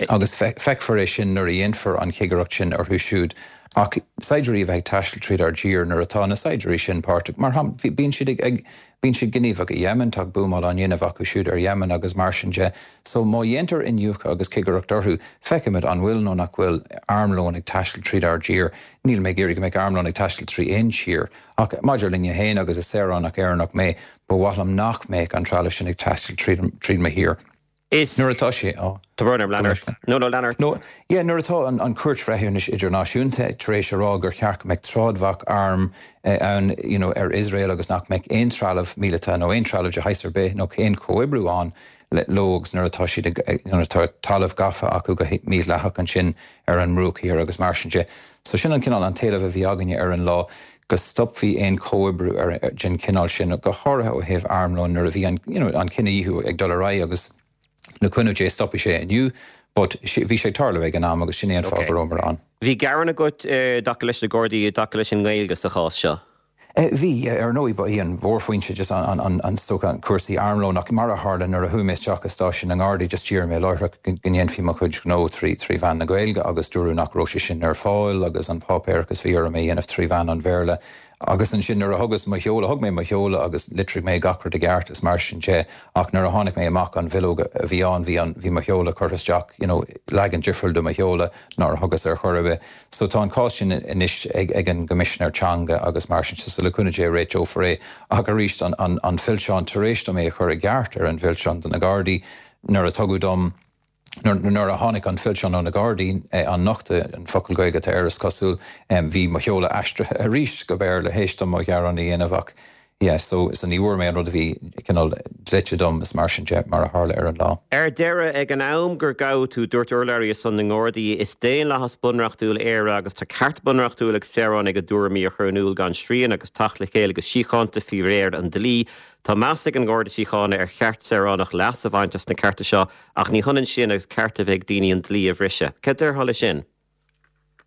Agus feicfear é sin nuair a dhéanfar an chigireacht sin orthu siúd. Ach saighdiúirí a bheith ag taisteal tríd ár dtír nuair atá na saighdiúirí sin páirteach mar bíonn siad ag bíonn siad gníomhach i Yemen tá buamáil á ndéanamh acu siúd ar Yemen agus mar sin de. So má dhéantar iniúchadh agus cigireacht orthu, feicfimid an bhfuil nó nach bhfuil armlón ag taisteal tríd ár dtír, Níl mé ag iarraidh go mbeadh armlón ag taisteal trí aon tír. Ach maidir linne féin agus is saoránach Éireannach mé, ba mhaith liom nach mbeadh an trealamh sin ag taisteal tríd mo thír. Is nuair atá sé á Tá brón orm lean ort. No no lean ort. No, yeah, nuair atá an, an Chúirt Bhreithiúnais Idirnáisiúnta tar éis a rá gur cheart go mbeadh trádbhac arm eh, ann you know, ar Iosrael agus nach mbeadh aon trealamh míleata nó aon trealamh de shaghas ar bith nó aon chomhoibriú ann le leo agus nuair atá siad nuair atá talamh gafa acu go mídhleathach ansin ar an mBruach Thiar agus mar sin de. So sin an cineál an t-éileamh a bhí againne ar an lá go stopfaí aon chomhoibriú ar den chineál sin go háirithe ó thaobh armlón nuair a bhí an, you know, an cinedhíothú ag dul ar aghaidh agus le cúnamh Dé stopfaidh sé inniu, but bhí sé ag tarlú ag an am agus sin é an fáth go rabhamar ann. Bhí gearán agat i dtaca leis na Gardaí i dtaca leis an nGaeilge sa chás seo? Bhí ar ndóigh ba í an mhórfhoinse just an, an, an stoc an cúrsaí armlón ach mar a tharla nuair a chuaigh mé isteach i stáisiún na nGardaí just d'iarr mé láithreach go ndéanfaí mo chuid gnó trí trí mheán na Gaeilge agus dúradh nach raibh sé sin ar fáil agus an páipéarachas bhí orm é a dhéanamh trí mheán an Bhéarla. Agus ansin nuair a thugas mo sheoladh, thug mé mo sheoladh agus litrigh mé gach rud i gceart is mar sin de, ach nuair a tháinig mé amach an bhileog a bhí ann, bhí an, bhí mo sheoladh curtha isteach, you know, leagan difriúil de mo sheoladh nár thugas ar chor ar bith. So tá an cás sin anois ag, ag an gCoimisinéir Teanga agus mar sin de, so le cúnamh Dé réiteofar é. Ach arís an, an, an fillteán, tar éis dom é a chur i gceart ar an bhfillteán do na Gardaí nuair a tugadh dom, Nuair a tháinig an fillteán ó na Gardaí, an nochtadh, an focal Gaeilge atá air is cosúil, bhí mo sheoladh aistrithe arís go Béarla théis dom mo ghearán a dhéanamh ach yeah so so ní bhfuair mé an rud a bhí cineál dlite dom is mar sin de mar a tharla ar an lá. Ar deireadh, ag an am gur gabhadh tú, dúirt urlabhraí ar son na nGardaí, Is daonlathas bunreachtúil Éire agus tá ceart bunreachtúil ag saoránaigh a dtuairimí a chur in iúl gan srian agus teacht le chéile go síochánta faoi réir an dlí. Tá meas ag an nGarda Síochána ar cheart saoránach leas a bhaint as na cearta seo ach ní hionann sin agus ceart a bheith ag daoine an dlí a bhriseadh. Cad déarfá leis sin?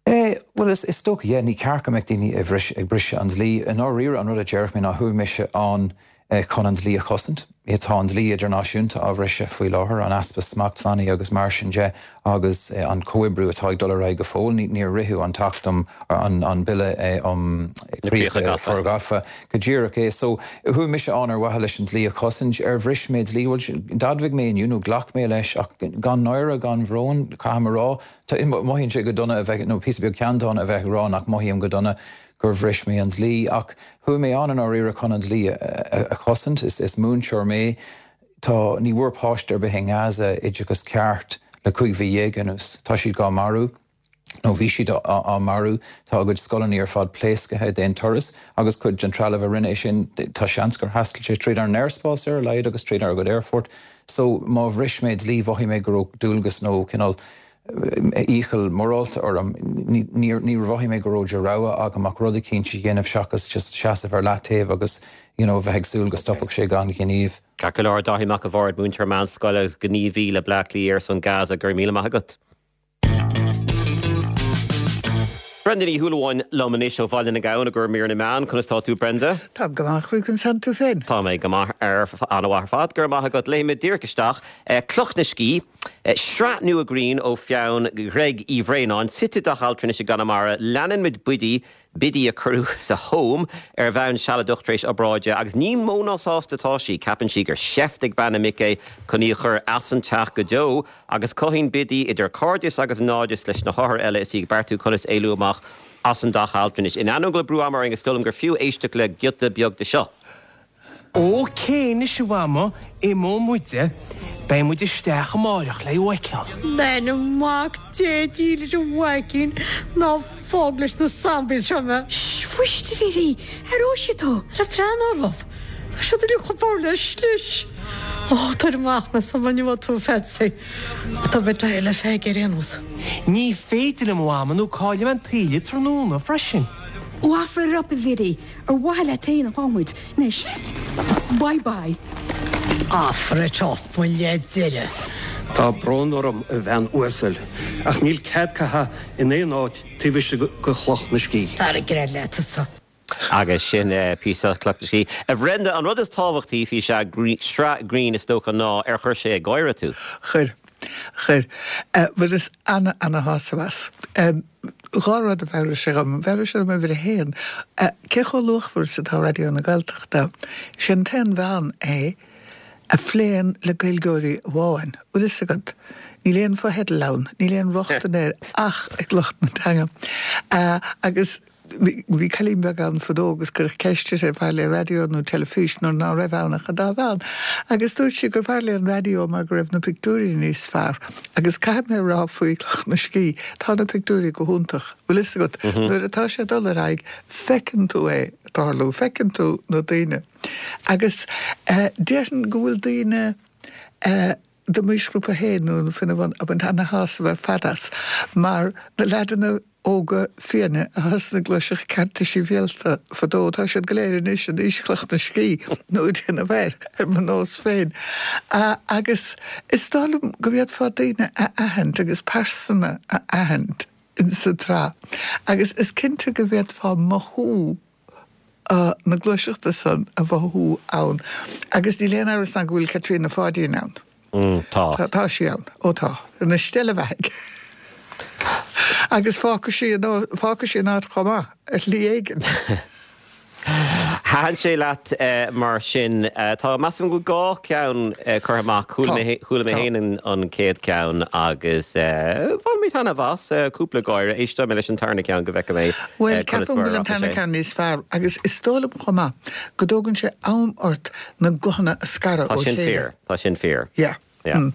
Eh, Bhuel, is is dócha, yeah, ní ceart go mbeadh daoine ag bhris ag briseadh an dlí. I ndáiríre, an rud a déarfadh mé ná chuaigh mise ann chun an dlí a chosaint. Tá an dlí idirnáisiúnta á bhriseadh faoi láthair, an easpa smachtbhannaí agus mar sin de agus an comhoibriú atá ag dul ar aghaidh go fóill. Níor ritheadh an tAcht um an Bille um Chríocha Forghafa go díreach é. So chuaigh mise ann ar mhaithe leis an dlí a chosaint. Ar bhris mé dlí? Bhuel, d'admhaigh mé inniu nó ghlac mé leis ach gan náire, gan bhrón, caithfidh mé a rá, mothaíonn sé go dona a bheith, nó píosa beag ceanndána a bheith ag rá nach mothaím go dona. gur bhris mé an dlí, ach chuaigh mé ann i ndáiríre chun an dlí a chosaint. Is múinteoir mé. Tá, ní bhfuair páiste ar bith i nGaza oideachas ceart le cúig mhí dhéag anuas. Tá siad dhá marú, nó bhí siad á marú. Tá a gcuid scoileanna ar fad pléasctha d'aon turas agus cuid den trealamh a rinne é sin, tá seans gur thaistil sé tríd ár n-aerspás ar a laghad agus tríd ár gcuid aerfort. So má bhris mé dlí, mhothaigh mé go raibh dualgas nó cineál iachall morálta orm. Níor mhothaigh mé go raibh de rogha agam ach rud eicínt a dhéanamh seachas just seasamh ar leataobh agus you know bheith ag súil go stopfadh sé gan ghníomh. Ceart go leor, Dáithí Mac a' Bhaird, múinteoir meánscoile agus gníomhaí le Bleá Cliath ar son Gaza, go raibh míle maith agat. Brenda Ní Shúilleabháin liom anois ó Bhaile na nGabhann i gcomhair mír na meán. Conas tá tú Brenda? Táim go maith, conas tánn tú féin? Tá mé go maith ar an-mhaith ar fad, go raibh maith agat. Léimfidh muid díreach isteach. Cloch na Scíth, sraith nua grinn ó pheann Ghreg Uí Bhraonáin, suite i dteach altranais i gConamara. Leanann muid Biddy, Biddy a cuireadh sa Home ar bhonn sealadach tar éis obráide agus ní mó ná sásta atá sí. Ceapann sí gur seift ag bean na muice é chun í a chur as an teach go deo agus cothaíonn Biddy idir cairdeas agus naimhdeas leis na hothair eile is í ag beartú conas éalú amach as an dteach altranais. In ainneoin go bhfuil brú ama orainn is dóigh liom gur fiú éisteacht le giota beag de seo. Ok anois a Mhama, imeoidh muide. Beidh muid isteach amáireach le thú a fheiceáil. In ainm Mhac Dé dílis a mhaicín, ná fág leis na zombies seo mé. Sh, fuist a Bhiddy, aireoidh siad tú, ná breathnaigh orthu. Tá siad uilig chomh bodhar le slis. Ó, tabhair amach mé sula ngeobhaidh tú Patsy. Tá mé ag le Pheig ar aon nós. Ní féidir liom a Mhama nó caillfidh mé an taoille tráthnóna freisin. Ó offer it up a Bhiddy, ar mhaithe leat féin atá muid anois. Bye bye. Offer it up, mo leid deireadh. Tá brón orm, a bhean uasail, ach níl cead caitheamh in aon áit taobh istigh de Chloch na Scíth. Tar ag gread leat tusa. Agus sin píosa as Cloch na Scíth. A Bhrenda, an rud is tábhachtaí faoi sraith grinn is dócha ná ar chuir sé ag gáire tú? Chuir. Chuir. Bhaineas ana, ana-shásamh as. Dhá rud a mheabhraigh sé dhom. Mheabhraigh sé dom uimhir a haon, cé chomh luachmhar is atá Raidió na Gaeltachta. Is é an t-aon mheán é a phléann le Gaeilgeoirí amháin. Bhfuil fhios agat, níl aon fotheidil ann, níl aon rochtain air ach ag lucht na teanga. Agus bhí cailín beag ann fadó agus cuireadh ceist uirthi ar bhfearr léi raidió nó teilifís nuair ná raibh ann ach an dá mheán. Agus dúirt sí gur bhfearr léi an raidió mar go raibh na pictiúirí níos fearr. Agus caithfidh mé a rá faoi Chloch na Scíth, tá na pictiúirí go hiontach. Bhfuil fhios agat, nuair atá sé ag dul ar aghaidh, feiceann tú é ag tarlú, feiceann tú na daoine. Agus déarfainn go bhfuil daoine de m'aoisghrúpa féin nó faoina bhun ag baint ana-shásamh ar fad as mar na leaideanna óga fiáine a thosnaigh ag gluaiseacht Cearta Sibhialta fadó, tá siad go léir anois in aois Chloch na Scíth nó ag déanamh air, ar mo nós féin. Agus is dóigh liom go bhféadfá daoine a aithint agus pearsana a aithint insa tsraith. Agus is cinnte go bhféadfá mothú na gluaiseachta san a mhothú ann. Agus níl aon amhras ná go bhfuil Caitríona Pháidín ann. Tá. Tá sí ann. Ó tá. Ina steillebheathaidh. Agus fágfaidh sí an, fágfaidh sí an áit chomh maith, ar shlí éigin. Thaitin sé leat mar sin. Tá, measaim go bhfuil dhá cheann curtha amach. Chuala mé, chuala mé féin an chéad cheann agus bhain mé taitneamh as, cúpla gáire. Éisteoidh mé leis an tarna ceann go bhfeicfidh mé Bhuel, conas ceapaim mar go a bhfuil an rachaidh tarna sé. ceann níos fearr agus is dóigh liom chomh maith go dtógann sé am ort na guthanna a scaradh Tá ó sin chéile. fíor, tá sin fíor. Yeah. Yeah. Mm.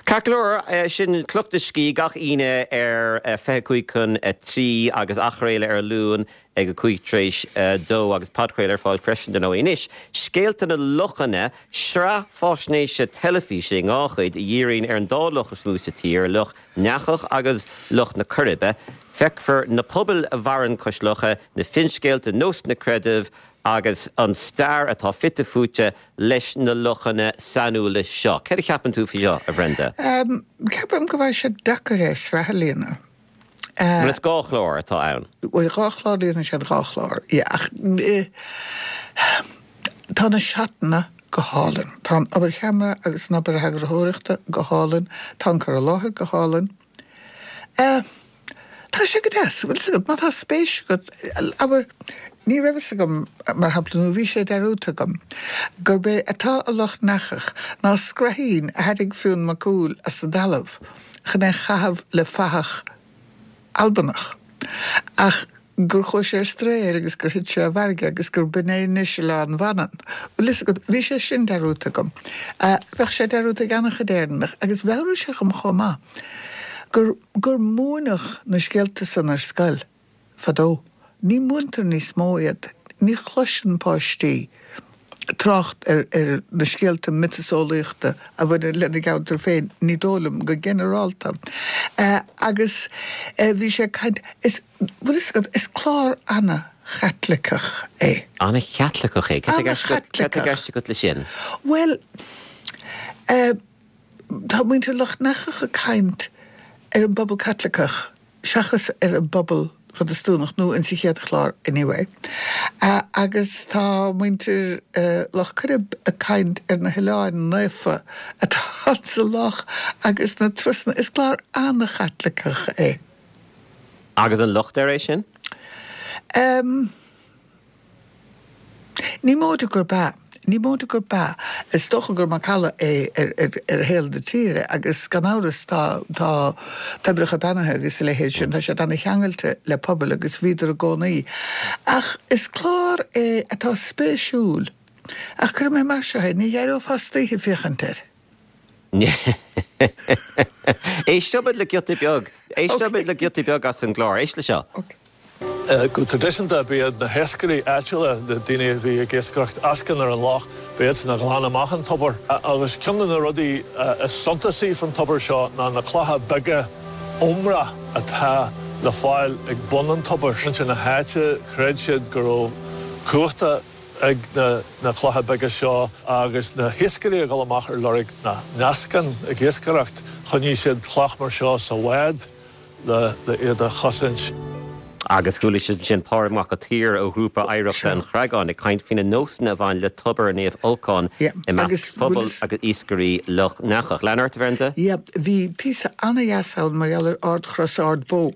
Ceart go leor, sin Cloch na Scíth gach Aoine ar fiche cúig chun a trí agus athchraoladh ar an Luan ag a cúig tar éis a dó agus podchraoladh ar fáil freisin dar ndóigh. Anois, Scéalta na Lochanna, sraith faisnéise teilifíse i dhá chuid a dhíríonn ar an dá loch is mó sa tír, Loch nEachach agus Loch na Coiribe. Feicfear na pobail a mhaireann cois locha, na finscéalta, nósanna creidimh agus an stair atá fite fuaite leis na lochanna sainiúla seo. Céard a cheapann tú faoi seo, a Bhrenda? Ceapaim go bhfuil sé deacair é sraith a líonadh. Bhuel is dhá chlár atá ann. Bhuel dhá chlár déanann siad dhá chlár ach tá na seatanna go hálainn. Tá an obair cheamara agus an obair eagarthóireachta go hálainn, tá an cur i láthair go hálainn. Tá sé go deas, bhfuil fhios agat, má tá spéis agat, abair, ní raibh fhios agam, mar shampla, nó bhí sé dearúdta agam, gurb é atá i Loch nEachach ná scraithín a tharraing Fionn Mac Cumhaill as an dtalamh chun é a chaitheamh le fathach Albanach. Ach gur chuaigh sé ar strae air agus gur thit sé i bhfarraige agus gur b'in é anois Oileán Mhanann. Bhfuil fhios agat, bhí sé sin dearúdta agam. Bheadh sé dearúdta ag an-chuid Éireannach agus mheabhraigh sé dhom chomh maith gur gur múineadh na scéalta san ar scoil fadó. Ní mhúintear níos mó iad. Ní chloiseann páistí trácht ar ar na scéalta miotaseolaíochta a bhaineann lena gceantar féin, ní dóigh liom, go ginearálta. Agus bhí sé ag caint, is, bhfuil fhios agat, is clár ana-Chaitliceach é. Ana-Chaitliceach é? Cad tá i gceist agat leis sin? Bhuel, tá muintir Loch nEachach ag caint ar an bpobal Caitliceach seachas ar an bpobal Protastúnach, nó insa chéad chlár anyway. Agus tá muintir Loch Coirib ag caint ar na hoileáin naofa atá sa loch agus na turasanna. Is clár ana-Chaitliceach é. Agus an locht air é sin? Em. Ní móide gurb ea. Ní móide gurb ea. Is dócha gur macalla é ar shaol na tíre agus gan amhras tá tá toibreacha beannaithe agus a leithéid sin, tá siad ana-cheangailte le pobail agus bhíodar i gcónaí. Ach is clár é atá spéisiúil. Ach cuirfidh mé mar seo é, ní éireofá istoíche féachaint air. Éisteoimid le giota beag. Éisteoimid le giota beag as an gclár. Éist le seo. Go traidisiúnta, ba iad na hiascairí áitiúla, na daoine a bhí ag iascaireacht eascann ar an loch, ba iadsan a ghlan amach an tobar. Agus ceann de na rudaí is suntasaí faoin tobar seo ná na clocha beaga ómra atá le fáil ag bun an tobair. Muintir na háite, chreid siad go raibh cumhachta ag na clocha beaga seo agus na hiascairí ag dul amach ar lorg na n-eascann ag iascaireacht, choinnigh siad cloch mar seo sa bhád le iad a chosaint. Agus chuala sibh ansin Pádraig Mac an tSaoir ó Ghrúpa Oidhreachta an Chreagáin ag caint faoi na nósanna a bhain le Tobar Naomh Olcán i measc phobal agus iascairí Loch nEachach. Lean ort, a Bhrenda? Yeah, bhí píosa ana-dheas ann mar gheall ar Ardchros Ard Bó.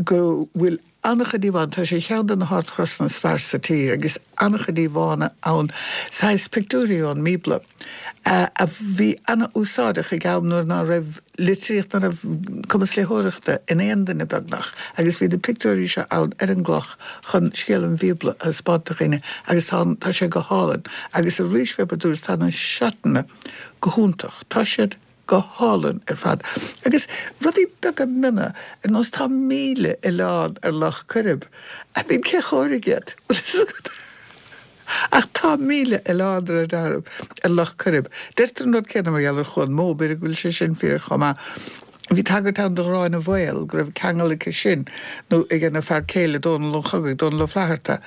Go bhfuil an-chuid íomhánna, tá sé ar cheann de na hardchrosanna is fearr sa tír agus an-chuid íomhánna ann, saghas pictiúirí ón mBíobla, a bhí ana-úsáideach ag am nuair ná raibh litríocht, ná raibh cumas léitheoireachta in aon duine beagnach agus bhí na pictiúirí seo ann ar an gcloch chun scéal an Bhíobla a thaispeáint do dhaoine agus tá, tá sé go hálainn agus arís fé mar a dúras tá na seatanna go hiontach, tá siad. go hálainn ar fad. Agus rudaí beaga miona, ar nós tá míle oileán ar Loch Coirib. I mean, cé chóirigh iad? Bhfuil fhios agat? Ach tá míle oileán ar an ar Loch Coirib. Deirtear an rud céanna mar gheall ar Chuan Mó, b'fhéidir go bhfuil sé sin fíor chomh maith. Bhí tagairt ann do Ghráinne Mhaol, go raibh ceangal aici sin, nó ag a fear céile Dónall an Chogaidh, Dónall Ó Flatharta,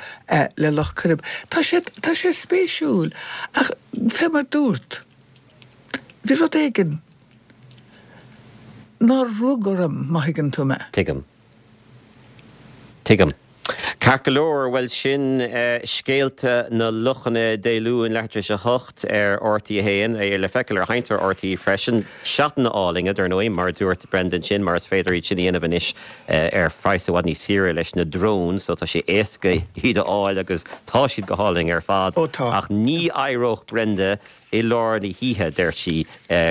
le Loch Coirib. Tá sé, tá sé spéisiúil, ach fé mar dúrt, Bhí rud éigin nár rug orm, má thuigeann tú mé. Tuigim. Tuigim. Ceart go leor, bhuel sin Scéalta na Lochanna Dé Luain leathuair tar éis a hocht ar R T a haon, é le feiceáil ar sheinnteoir R T freisin. Seatanna álainne, dar ndóigh, mar a dúirt Brenda ansin, mar is féidir iad sin a dhéanamh anois ar phraghas i bhfad níos saoire leis na drones, so tá sé éasca iad a fháil agus tá siad go hálainn ar fad. Ó tá. Ach ní éireodh Brenda i lár na hoíche, deir sí,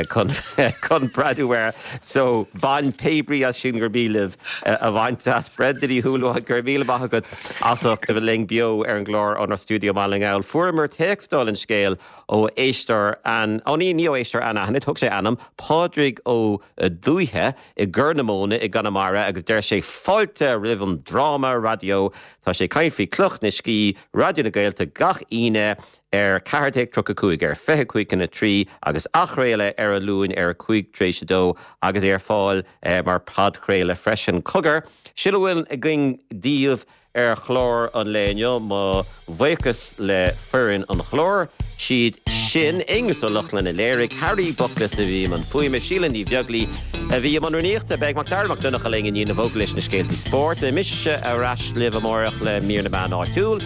chun chun breathnú air. So, bain pé brí as sin gur mian libh a bhaint as. Brenda Ní Shúilleabháin, go raibh míle maith agat as ucht a bheith linn beo ar an gclár ónár stiúideo i mBaile na nGall. Fuaireamar téacs dála an scéil ó éisteoir an, ó ní, ní ó éisteoir anaithnid, thug sé a ainm, Pádraig Ó Dúiche i gCorr na Móna i gConamara agus deir sé fáilte roimh an dráma raidió. Tá sé ag caint faoi Cloch na Scíth, Raidió na Gaeltachta gach Aoine ar ceathair déag tríocha cúig, ar fiche cúig chun a trí agus athchraoladh ar an Luan ar a cúig tar éis a dó agus é ar fáil mar podchraoladh freisin. Cogar, sin a bhfuil againn daoibh ar chlár an lae inniu. Mo bhuíochas le foireann an chláir, siad ansin, Aonghus Ó Lochlainn a léirigh, Harry Buckles a bhí i mbun fuaime, Síle Ní Bheaglaoi a bhí i mbun rúnaíochta, beidh Macdara Mac Donncha linn i ndiaidh na bhfógraí leis na scéaltaí spóirt, beidh mise ar ais libh amárach le mír na meán áitiúil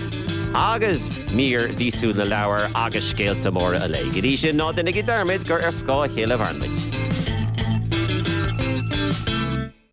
agus mír mhíosúil na leabhar agus scéalta móra an lae. Go dtí sin, ná déanaigí dearmad gur ar scáth a chéile a mhaireann muid.